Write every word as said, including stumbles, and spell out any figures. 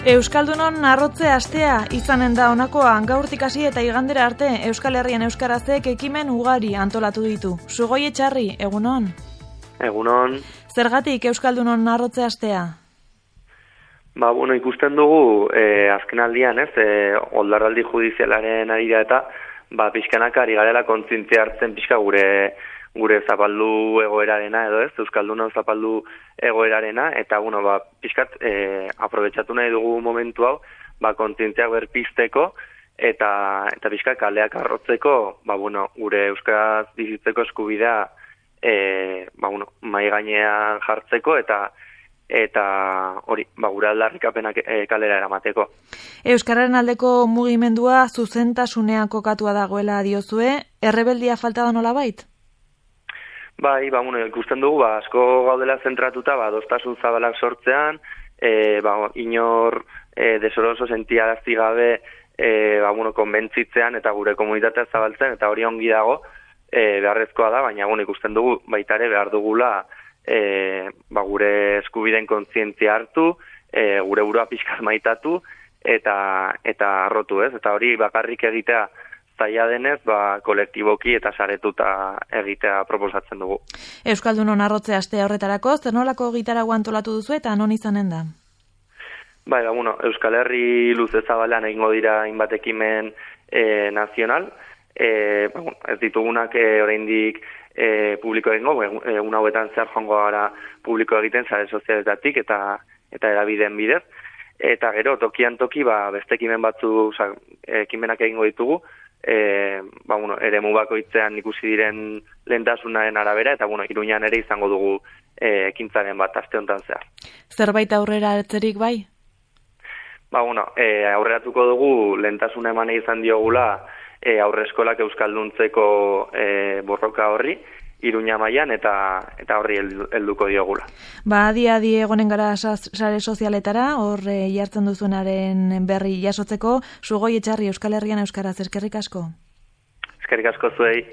Euskaldunon arrotze astea izanen da honakoa, gaurtik hasi eta igandera arte Euskal Herrian euskarazek ekimen ugari antolatu ditu. Sugoi Etxarri, egunon? Egunon. Zergatik Euskaldunon arrotze astea? Ba, bueno, ikusten dugu, eh, azken aldian, ez, eh, oldarraldi judizialaren ari da eta, ba, pixkanak ari garela kontzientzia hartzen pixka gure gure zapaldu egoerarena edo ez, Euskaldunon zapaldu egoerarena, eta, bueno, ba, pixkat, eh, aprobetxatu nahi dugu momentu hau, ba, kontzientziak berpizteko, eta, eta pixkat kaleak arrotzeko, ba, bueno, gure euskaraz bizitzeko eskubidea, eh, ba, bueno, mai gainean jartzeko, eta eta hori, ba, gure aldarrikapenak e, kalera eramateko. Euskararen aldeko mugimendua zuzentasunean kokatua dagoela diozue, errebeldia falta da nolabait? Bai, ba, bueno, ikusten dugu, ba, asko gaudela zentratuta, ba, adostasun zabalak sortzean, e, ba, inor e, desoroso sentiarazti gabe, e, ba, bueno, konbentzitzean eta gure komunitatea zabaltzen, eta hori ongi dago, e, beharrezkoa da, baina, bueno, ikusten dugu, baitare behar dugula, E, ba, gure eskubideen kontzientzia hartu, e, gure burua pixkat maitatu, eta eta arrotu, ez? Eta hori bakarrik egitea zaila denez, ba, kolektiboki eta saretuta egitea proposatzen dugu. Euskaldunon arrotze aste horretarako, zer nolako gitarago antolatu duzu eta non izanen da? Bai, ba, bueno, Euskal Herri luze zabalean egingo dira hainbat ekimen e, nazional, e, ba, bueno, ez ditugunak e, oraindik E, publiko egingo, egun hauetan zehar joango gara publiko egiten sare sozialetatik eta eta erabideen bidez. Eta gero, tokian toki, ba, beste ekimen batzu, oza, ekimenak egingo ditugu, e, ba, bueno, ere mubakoitzean ikusi diren lehentasunaren arabera, eta bueno, Iruñan ere izango dugu e, ekintzaren bat aste honetan zehar. Zerbait aurrera hartzerik bai? Ba, bueno, e, aurreratuko dugu lehentasuna eman izan diogula, E, aurre eskolak euskalduntzeko e, borroka horri, Iruña mailan eta eta horri helduko diogula. Ba, adi adi egonen gara sare sozialetara, hor e, jartzen duzuenaren berri jasotzeko, Sugoi Etxarri Euskal Herrian euskaraz, eskerrik asko. Eskerrik asko zuei.